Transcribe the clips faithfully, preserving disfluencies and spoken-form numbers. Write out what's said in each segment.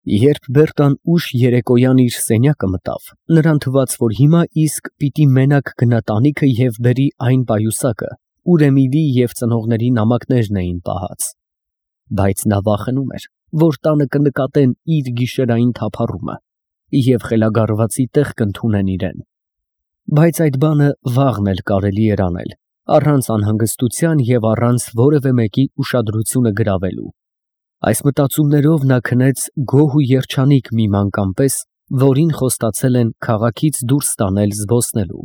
Երբ Բերտան ուշ երեկոյան իր սենյակը մտավ, նրան թվաց, որ հիմա իսկ պիտի մենակ գնա տանիքը և բերի այն պայուսակը, ուր Էմիլիի և ծնողների նամակներն էին պահած. բայց նա վախենում էր, որ տանը կնկատեն իր գիշերային թափառումը և խելագարվածի տեղ կընդունեն իրան. բայց այդ բանը վաղն էլ կարելի էր անել, առանց անհանգստության և առանց որևէ մեկի ուշադրությունը գրավելու։ Այս մտածումներով նա քնեց գոհ ու երջանիկ մի մանկամ պես, որին խոստացել են քաղաքից դուրս տանել զբոսնելու։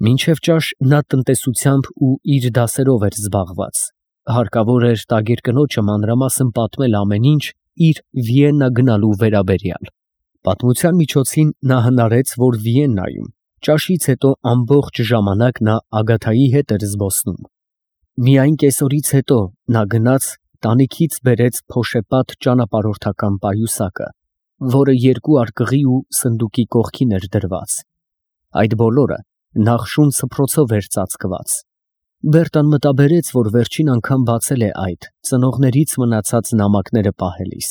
Մինչև ճաշ նա տնտեսությամբ ու իր դասերով էր զբաղված, հարկավոր էր տագիր կնոջը մանրամասն պատմել ամեն ինչ իր Վիեննա գնալու վերաբերյալ։ Պատմության միջոցին նա հնարեց, որ Վիեննայում ճաշից հետո ամբողջ ժամանակ նա Ագաթայի հետ էր զբոսնում։ Միայն կեսօրից հետո նա գնաց տանիքից բերեց փոշեպատ ճանապարհորդական պայուսակը, որը երկու արկղի ու սնդուկի կողքին էր դրված։ Այդ բոլորը նախշուն սփռոցով էր ծածկված։ Բերտան մտաբերեց, որ վերջին անգամ բացել է այդ ծնողներից մնացած նամակները պահելիս։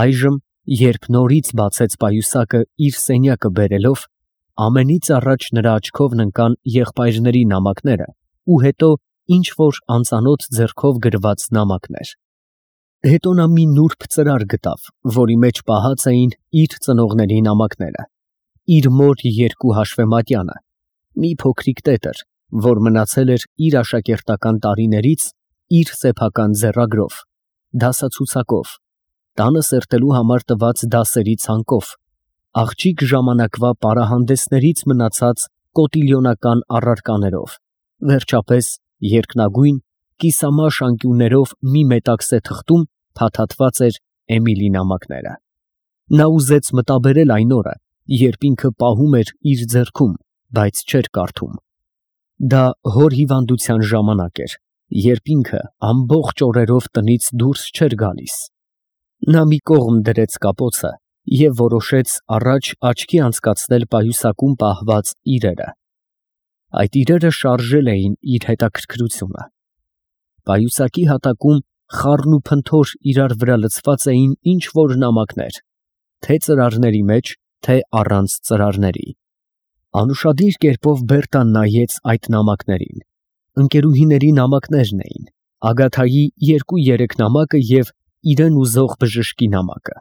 Այժմ, երբ նորից բացեց պայուսակը իր սենյակը բերելով, ամենից առաջ նրա աչքովն ընկան եղբայրների նամակները ու հետո ինչ որ անծանոթ ձեռքով գրված նամակներ։ Հետո նա մի նուրբ ծրար գտավ, որի մեջ պահած էին իր ծնողների նամակները, իր մոր երկու հաշվեմատյանը, մի փոքրիկ տետր, որ մնացել էր իր աշակերտական տարիներից իր սեփական ձեռագրով, դասացուցակով, տանը սերտելու համար տված դասերի ցանկով, աղջիկ ժամանակվա պարահանդեսներից մնացած կոտիլյոնական առարկաներով, վերջապես երկնագույն կիսամաշ անկյուններով մի մետաքսե թղթում փաթաթված էր Էմիլի նամակները։ Նա ուզեց մտաբերել այն օրը, երբ ինքը պահում էր իր ձեռքում, բայց չէր կարդում։ Դա հոր հիվանդության ժամանակ էր, երբ ինքը ամբողջ օրերով տնից դուրս չէր գալիս։ Նա մի կողմ դրեց կապոցը և որոշեց առաջ աչքի անցկացնել պայուսակում պահված իրերը։ Այդ իրերը շարժել էին իր հետաքրքրությունը։ Պայուսակի հատակում խառն ու փնթոր իրար վրա լցված էին ինչ որ նամակներ, թե ծրարների մեջ, թե առանց ծրարների։ Անուշադիր կերպով Բերտան նայեց այդ նամակներին։ Ընկերուհիների նամակներն էին, Ագաթայի երկու֊երեք նամակը և իրեն ուզող բժշկի նամակը։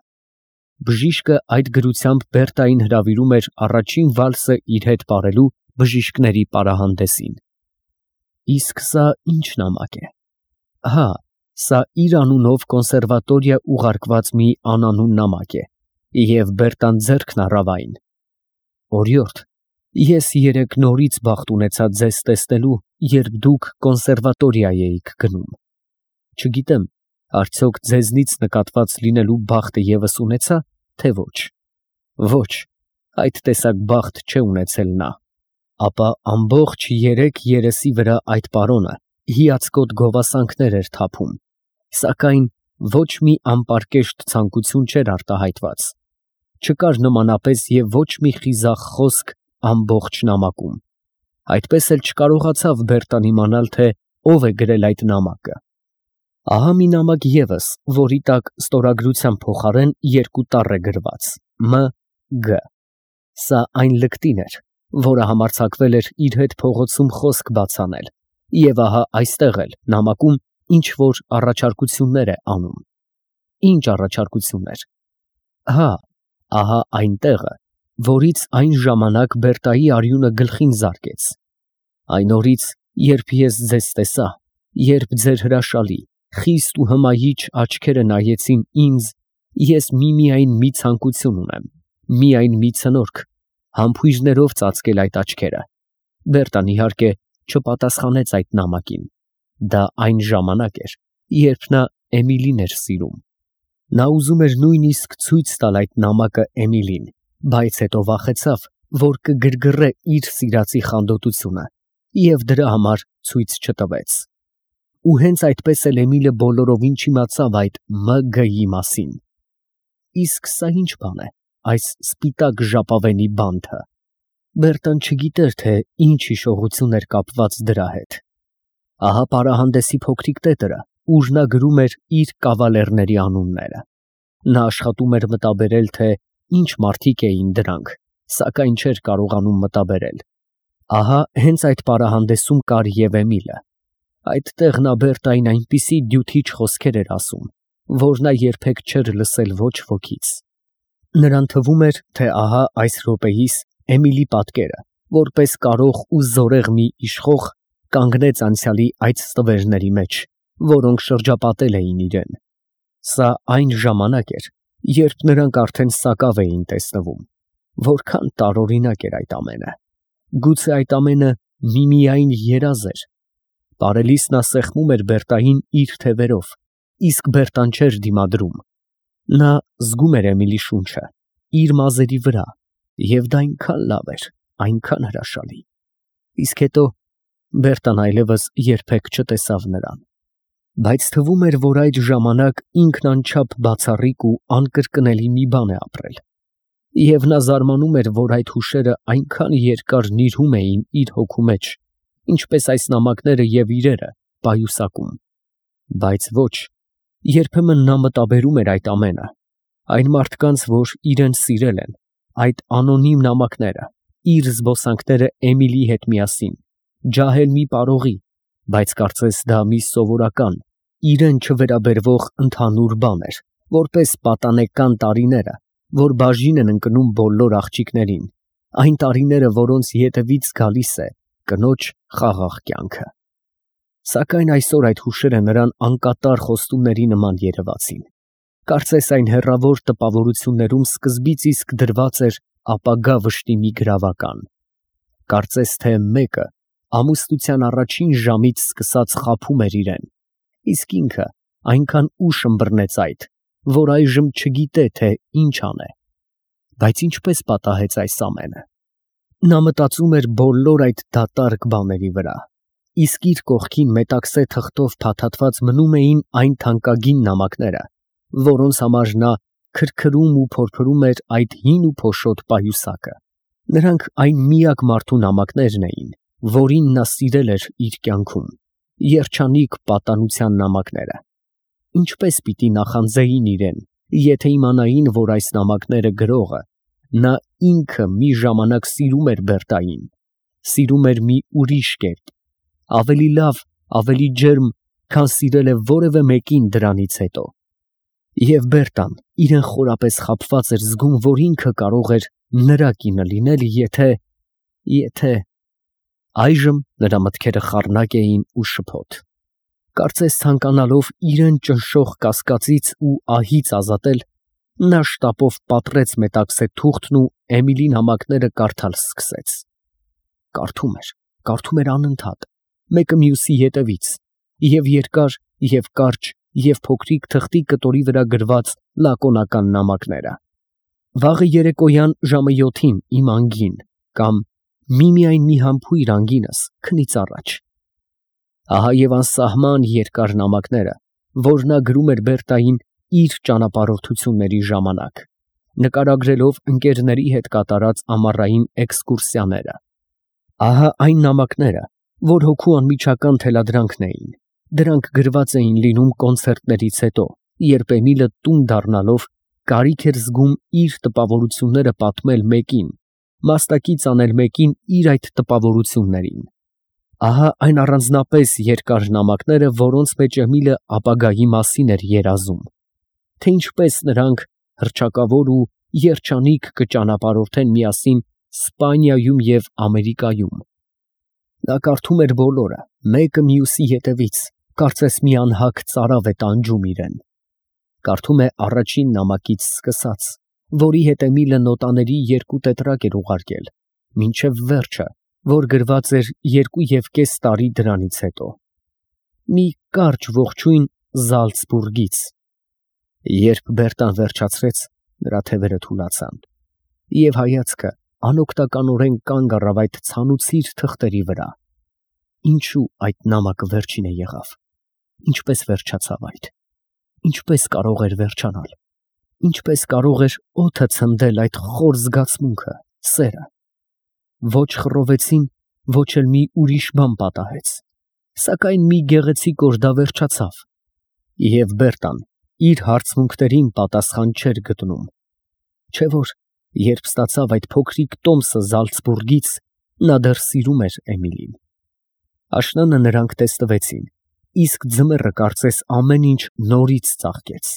Բժիշկը այդ գրությամբ Բերտային հրավիրում էր առաջին վալսը իր հետ պարելու բժիշկների պարահանդեսին։ Իսկ սա ի՞նչ նամակ է։ Հա, սա իր անունով կոնսերվատորիա ուղարկված մի անանուն նամակ է, և Բերտան ձեռքն առավ այն։ Օրիորդ, ես երեկ նորից բախտ ունեցա ձեզ տեսնելու, երբ դուք կոնսերվատորիա էիք գնում։ Չգիտեմ, արդյոք ձեզնից նկատված լինելու բախտը ևս ունեցա, թե ոչ։ Ոչ, այդ տեսակ բախտ չէ ունեցել նա։ Ապա ամբողջ երեք երեսի վրա այդ պարոնը հիացկոտ գովասանքներ էր թափում, սակայն ոչ մի անպարկեշտ ցանկություն չէր արտահայտված։ Չկար նմանապես և ոչ մի խիզախ խոսք ամբողջ նամակում։ Այդպես էլ չկարողացավ Բերտան իմանալ, թե ով է գրել այդ նամակը։ Ահա մի նամակ ևս, որի տակ ստորագրության փոխարեն երկու տառ է գրված՝ Մ. Գ. Սա այն լկտին էր, որը համարձակվել էր իր հետ փողոցում խոսք բաց անել, և ահա այստեղ էլ նամակում ինչ որ առաջարկություններ է անում։ Ինչ առաջարկություններ։ Հա, ահա այն տեղը, որից այն ժամանակ Բերտայի արյունը գլխին զարկեց։ Այն օրից, երբ ես ձեզ տեսա, երբ ձեր հրաշալի, խիստ ու հմայիչ աչքերը նայեցին ինձ, ես միմիայն մի ցանկություն ունեմ, միայն մի ցնորք, համբույրներով ծածկել այդ աչքերը։ Բերտան, իհարկե, չպատասխանեց այդ նամակին։ Դա այն ժամանակ էր, երբ նա Էմիլին էր սիրում։ Նա ուզում էր նույնիսկ ցույց տալ այդ նամակը Էմիլին, բայց հետո վախեցավ, որ կգրգռե իր սիրածի խանդոտությունը, և դրա համար ցույց չտվեց։ Ու հենց այդպես էլ Էմիլը բոլորովին չիմացավ այդ Մ. Գ.-ի մասին։ Իսկ սա ի՞նչ բան է, այս սպիտակ ժապավենի բանթը։ Բերտան չգիտեր, թե ինչ հիշողություն էր կապված դրա հետ։ Ահա պարահանդեսի փոքրիկ տետրը, ուր նա գրում էր իր կավալերների անունները։ Նա աշխատում էր մտաբերել, թե ինչ մարդիկ էին դրանք, սակայն չէր կարողանում մտաբերել։ Ահա հենց այդ պարահանդեսում կար և Էմիլը։ Այդտեղ նա Բերտային այնպիսի դյութիչ խոսքեր էր ասում, որ նա երբեք չէր լսել ոչ wokից։ Նրան թվում էր, թե ահա այս րոպեիս Էմիլի պատկերը, որպես կարող ու զորեղ մի իշխող, կանգնեց անցյալի այդ ստվերների մեջ, որոնք շրջապատել էին իրեն։ Սա այն ժամանակ էր, երբ նրանք արդեն սակավ էին տեսնվում։ Որքան տարօրինակ էր այդ ամենը։ Գուցե այդ ամենը միմիային երազ էր։ Բարելիս նա սեղմում էր Բերտային իր թևերով, իսկ Բերտան չէր դիմադրում։ Նա զգում էր Էմիլի շունչը իր մազերի վրա, և դա այնքան լավ էր, այնքան հրաշալի։ Իսկ հետո Բերտան այլևս երբեք չտեսավ նրան։ Բայց թվում էր, որ այդ ժամանակ ինքն անչափ բացառիկ ու անկրկնելի մի բան է ապրել։ Եվ նա զարմանում էր, որ այդ հուշերը այնքան երկար նիրհում էին իր հոգու մեջ, ինչպես այս նամակները և իրերը պայուսակում։ Բայց ոչ, երբեմն նա մտաբերում էր այդ ամենը, այն մարդկանց, որ իրեն սիրել են, այդ անոնիմ նամակները, իր զբոսանքները Էմիլի հետ միասին, ջահել մի պարողի, բայց կարծես դա մի սովորական, իրեն չվերաբերվող ընդհանուր բան էր, որպես պատանեկան տարիները, որ բաժին են ընկնում բոլոր աղջիկներին, այն տարիները, որոնց ետևից գալիս է կնոջ խաղաղ կյանքը։ Սակայն այսօր այդ հուշերը նրան անկատար խոստումների նման երևացին։ Կարծես այն հեռավոր տպավորություններում սկզբից իսկ դրված էր ապագա վշտի մի գրավական։ Կարծես թե մեկը ամուսնության առաջին ժամից սկսած խաբում էր իրեն, իսկ ինքը այնքան ուշ ըմբռնեց այդ, որ այժմ չգիտե, թե ինչ անե։ Բայց ինչպես պատահեց այս ամենը։ Նա մտածում էր բոլոր այդ դատարկ բաների վրա, իսկ իր կողքին մետաքսե թղթով փաթաթված մնում էին այն թանկագին նամակները, որոնց համար նա քրքրում ու փորփրում էր այդ հին ու փոշոտ պայուսակը։ Նրանք այն միակ մարդու նամակներն էին, որին նա սիրել էր իր կյանքում, երջանիկ պատանության նամակները։ Ինչպես պիտի նախանձեին իրեն, եթե իմանային, որ այս նամակները գրողը, նա ինքը մի ժամանակ սիրում էր Բերտային, սիրում էր մի ուրիշ կերպ, ավելի լավ, ավելի ջերմ, քան սիրել է որևէ մեկին դրանից հետո։ Եվ Բերտան իրեն խորապես խաբված էր զգում, որ ինքը կարող էր նրա կինը լինել, եթե… եթե… Այժմ նրա մտքերը խառնակ էին ու շփոթ։ Կարծես ցանկանալով իրեն ճնշող կասկածից ու ահից ազատել, նա շտապով պատռեց մետաքսե թուղթն ու Էմիլի նամակները կարդալ սկսեց։ Կարդում էր, կարդում էր անընդհատ, մեկը մյուսի ետևից, և երկար, և կարճ, և փոքրիկ թղթի կտորի վրա գրված լակոնական նամակները։ Վաղը երեկոյան ժամը յոթին իմ անգին, կամ միմիայն մի համբույր անգինս քնից առաջ։ Ահա և անսահման երկար նամակները, որ նա գրում էր Բերտային իր ճանապարհորդությունների ժամանակ, նկարագրելով ընկերների հետ կատարած ամառային էքսկուրսիաները։ Ահա այն նամակները, որ հոգու անմիջական թելադրանքն էին։ Դրանք գրված էին լինում կոնցերտներից հետո, երբ Էմիլը տուն դառնալով կարիք էր զգում իր տպավորությունները պատմել մեկին, մասնակից անել մեկին իր այդ տպավորություններին։ Ահա այն առանձնապես երկար նամակները, որոնց մեջ Էմիլը ապագայի մասին էր երազում, թե ինչպես նրանք հռչակավոր ու երջանիկ կճանապարհորդեն միասին Սպանիայում և Ամերիկայում։ Նա կարդում էր բոլորը, մեկը մյուսի ետևից, կարծես մի անհագ ծարավ է տանջում իրեն։ Կարդում է առաջին նամակից սկսած, որի հետ Էմիլը նոտաների երկու տետրակ էր ուղարկել, մինչև վերջը, որ գրված էր երկու և կես տարի դրանից հետո։ Մի կարճ ողջույն Զալցբուրգից։ Երբ Բերտան վերջացրեց, նրա թևերը թուլացան, և հայացքը անօգնականորեն կանգ առավ այդ ցանուցիր թղթերի վրա։ Ինչու այդ նամակը վերջինը եղավ։ Ինչպես վերջացավ այդ։ Ինչպես կարող էր վերջանալ։ Ինչպես կարող էր օդը ցնդել այդ խոր զգացմունքը, սերը։ Ոչ խռովեցին, ոչ էլ մի ուրիշ բան պատահեց, սակայն մի գեղեցիկ օր դա վերջացավ։ Եվ Բերտան իր հարցմունքներին պատասխան չէր գտնում։ Չէ՞ որ երբ ստացավ այդ փոքրիկ տոմսը Զալցբուրգից, նա դեռ սիրում էր Էմիլին։ Աշնանը նրանք տեսնվեցին, իսկ ձմեռը կարծես ամեն ինչ նորից ծաղկեց։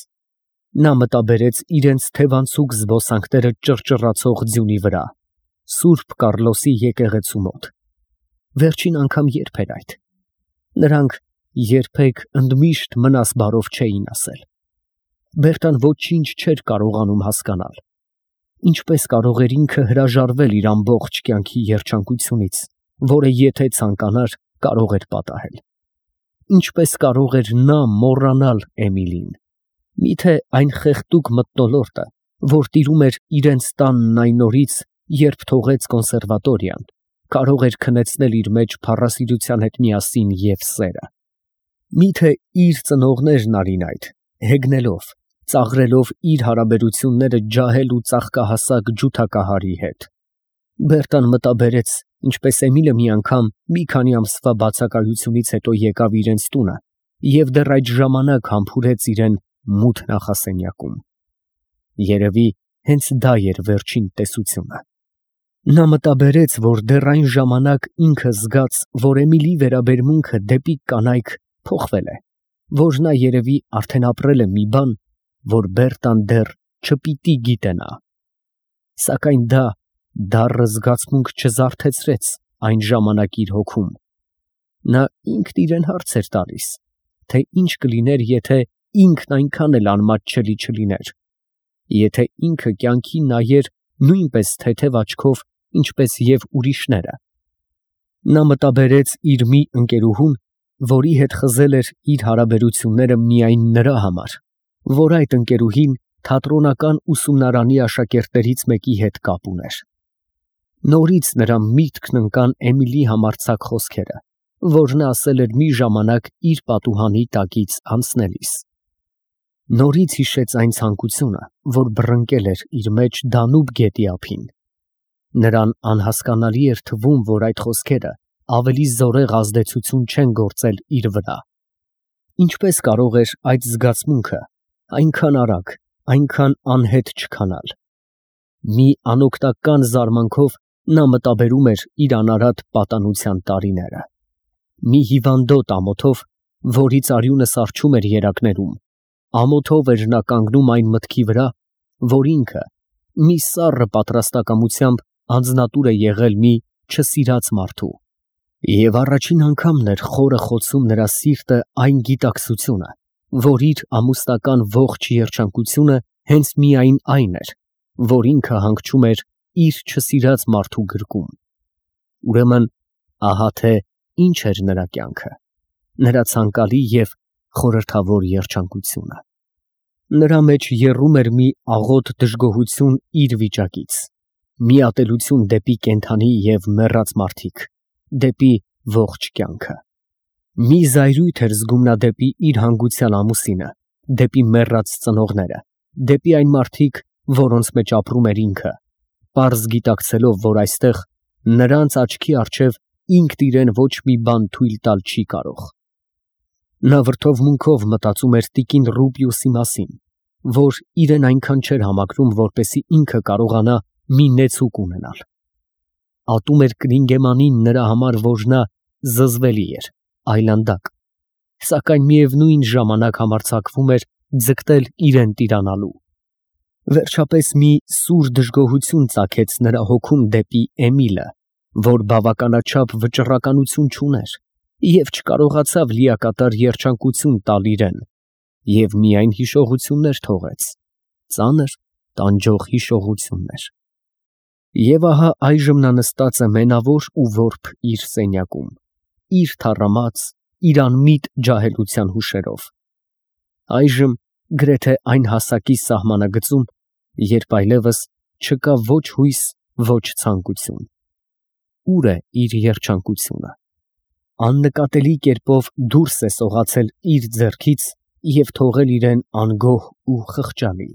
Նա մտաբերեց իրենց թևանցուկ զբոսանքները ճռճռացող ձյունի վրա, Սուրբ Կառլոսի եկեղեցու մոտ։ Վերջին անգամ երբ էր այդ։ Նրանք երբեք ընդմիշտ մնաս բարով չէին ասել։ Բերտան ոչինչ չէր կարողանում հասկանալ։ Ինչպես կարող էր ինքը հրաժարվել իր ամբողջ կյանքի երջանկությունից, որը եթե ցանկանար, կարող էր պատահել։ Ինչպես կարող էր նա մոռանալ Էմիլին։ Միթե այն խեղդուկ մթնոլորտը, որ տիրում էր իրենց տանն այն օրից, երբ թողեց կոնսերվատորիան, կարող էր քնեցնել իր մեջ փառասիրության հետ միասին և սերը։ Միթե իր ծնողներն արին այդ, հեգնելով, ծաղրելով իր հարաբերությունները ջահել ու ծաղկահասակ ջութակահարի հետ։ Բերտան մտաբերեց, ինչպես Էմիլը մի անգամ մի քանի ամսվա բացակայությունից հետո եկավ իրենց տունը և դեռ այդ ժամանակ համբուրեց իրեն մութ նախասենյակում։ Երևի հենց դա էր վերջին տեսությունը։ Նա մտաբերեց, որ դեռ այն ժամանակ ինքը զգաց, որ Էմիլի վերաբերմունքը դեպի կանայք փոխվել է, որ նա երևի արդեն ապրել է մի բան, որ Բերտան դեռ չպիտի գիտենա։ Սակայն դա դառը զգացմունք չզարթեցրեց այն ժամանակ իր հոգում։ Նա ինքն իրեն հարց էր տալիս, թե ինչ կլիներ, եթե ինքն այնքան էլ անմատչելի չլիներ, եթե ինքը կյանքին նայեր նույնպես թեթև աչքով, ինչպես և ուրիշները։ Նա մտաբերեց իր մի ընկերուհուն, որի հետ խզել էր իր հարաբերությունները միայն նրա համար, որ այդ ընկերուհին թատրոնական ուսումնարանի աշակերտներից մեկի հետ կապ ուներ։ Նորից նրա միտքն ընկան Էմիլի համարձակ խոսքերը, որ նա ասել էր մի ժամանակ իր պատուհանի տակից անցնելիս։ Նորից հիշեց այն ցանկությունը, որ բռնկել էր իր մեջ Դանուբ գետի ափին։ Նրան անհասկանալի էր թվում, որ այդ խոսքերը ավելի զորեղ ազդեցություն չեն գործել իր վրա։ Ինչպես կարող էր այդ զգացմունքը այնքան արագ, այնքան անհետ չքանալ։ Մի անօգնական զարմանքով նա մտաբերում էր իր անարատ պատանության տարիները։ Մի հիվանդոտ ամոթով, որից արյունը սառչում էր երակներում, ամոթով էր նա կանգնում այն մտքի վրա, որ ինքը մի սառը պատրաստակամությամբ անձնատուր է եղել մի չսիրած մարդու։ Եվ առաջին անգամն էր խորը խոցում նրա սիրտը այն գիտակցությունը, որ իր ամուսնական ողջ երջանկությունը հենց միայն այն էր, որ ինքը հանգչում էր իր չսիրած մարդու գրկում։ Ուրեմն, ահա թե ինչ էր նրա կյանքը, նրա ցանկալի և խորհրդավոր երջանկությունը։ Նրա մեջ եռում էր մի աղոտ դժգոհություն իր վիճակից, մի ատելություն դեպի կենդանի և մեռած մարդիկ, դեպի ողջ կյանքը։ Մի զայրույթ էր զգում նա դեպի իր հանգուցյալ ամուսինը, դեպի մեռած ծնողները, դեպի այն մարդիկ, որոնց մեջ ապրում էր ինքը, պարզ գիտակցելով, որ այստեղ նրանց աչքի առջև ինքն իրեն ոչ մի բան թույլ տալ չի կարող։ Նա վրդովմունքով մտածում էր տիկին Ռուբիուսի մասին, որ իրեն այնքան չէր համակրում, որպեսզի ինքը կարողանա մի նեցուկ ունենալ։ Ատում էր Կրինգեմանին նրա համար, որ նա զզվելի էր, այլանդակ, սակայն միևնույն ժամանակ համարձակվում էր ձգտել իրեն տիրանալու։ Վերջապես մի սուր դժգոհություն ծագեց նրա հոգում դեպի Էմիլը, որ բավականաչափ վճռականություն չուներ և չկարողացավ լիակատար երջանկություն տալ իրեն, և միայն հիշողություններ թողեց, ծանր, տանջող հիշողություններ։ Եվ ահա այժմ նա նստած է մենավոր ու որբ իր սենյակում, իր թառամած, իր անմիտ ջահելության հուշերով։ Այժմ գրեթե այն հասակի սահմանագծում, երբ այլևս չկա ոչ հույս, ոչ ցանկություն։ Ո՞ւր է իր երջանկությունը։ Աննկատելի կերպով դուրս է սողացել իր ձեռքից և թողել իրեն անգոհ ու խղճալի։